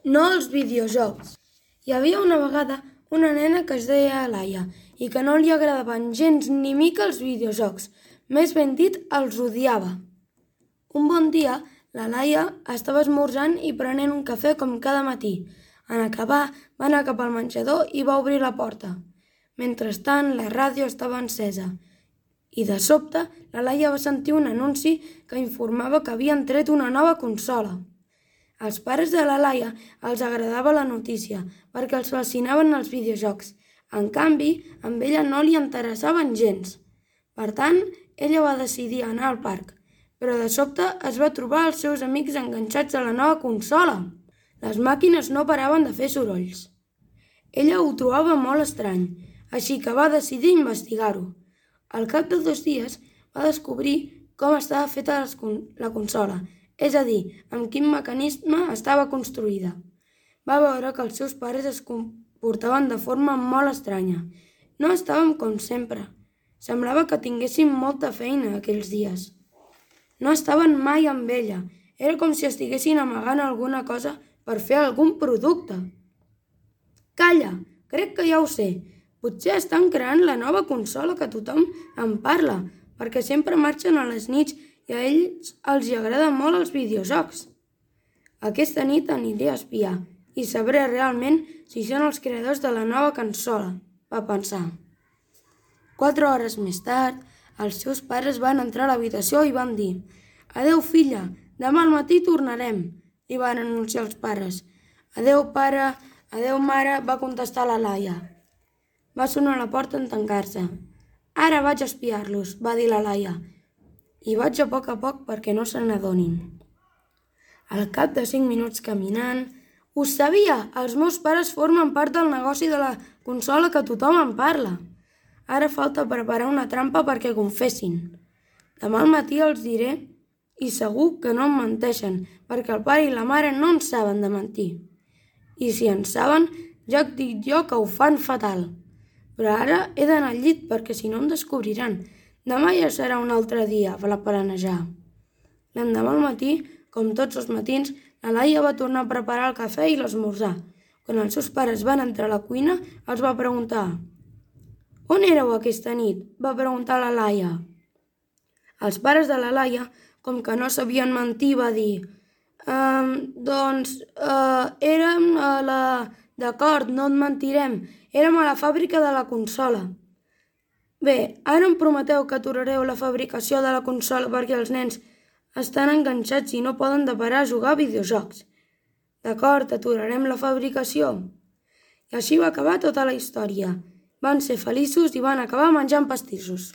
No als videojocs. Hi havia una vegada una nena que es deia Laia i que no li agradaven gens ni mica els videojocs. Més ben dit, els odiava. Un bon dia, la Laia estava esmorzant i prenent un cafè com cada matí. En acabar, va anar cap al menjador i va obrir la porta. Mentrestant, la ràdio estava encesa. I de sobte, la Laia va sentir un anunci que informava que havien tret una nova consola. Als pares de la Laia els agradava la notícia perquè els fascinaven els videojocs. En canvi, a ella no li interessaven gens. Per tant, ella va decidir anar al parc, però de sobte es va trobar els seus amics enganxats a la nova consola. Les màquines no paraven de fer sorolls. Ella ho trobava molt estrany, així que va decidir investigar-ho. Al cap de 2 dies va descobrir com estava feta la consola, és a dir, amb quin mecanisme estava construïda. Va veure que els seus pares es comportaven de forma molt estranya. No estàvem com sempre. Semblava que tinguessin molta feina aquells dies. No estaven mai amb ella. Era com si estiguessin amagant alguna cosa per fer algun producte. Calla, crec que ja ho sé. Potser estan creant la nova consola que tothom en parla, perquè sempre marxen a les nits i a ells els agraden molt els videojocs. Aquesta nit aniré a espiar i sabré realment si són els creadors de la nova consola, va pensar. 4 hores més tard, els seus pares van entrar a l'habitació i van dir: «Adeu, filla, demà al matí tornarem», li van anunciar els pares. «Adeu, pare, adeu, mare», va contestar la Laia. Va sonar la porta en tancar-se. «Ara vaig a espiar-los», va dir la Laia, «i vaig a poc perquè no se n'adonin». Al cap de 5 minuts caminant, «Ho sabia! Els meus pares formen part del negoci de la consola que tothom en parla. Ara falta preparar una trampa perquè confessin. Demà al matí els diré i segur que no em menteixen, perquè el pare i la mare no en saben de mentir. I si en saben, ja et dic jo que ho fan fatal. Però ara he d'anar al llit perquè si no em descobriran. Demà ja serà un altre dia per planejar». L'endemà al matí, com tots els matins, la Laia va tornar a preparar el cafè i l'esmorzar. Quan els seus pares van entrar a la cuina, els va preguntar: «On éreu aquesta nit?», va preguntar la Laia. Els pares de la Laia, com que no sabien mentir, va dir: érem a la... D'acord, no et mentirem, érem a la fàbrica de la consola». «Bé, ara em prometeu que aturareu la fabricació de la consola perquè els nens estan enganxats i no poden de parar a jugar a videojocs». «D'acord, aturarem la fabricació». I així va acabar tota la història. Van ser feliços i van acabar menjant pastissos.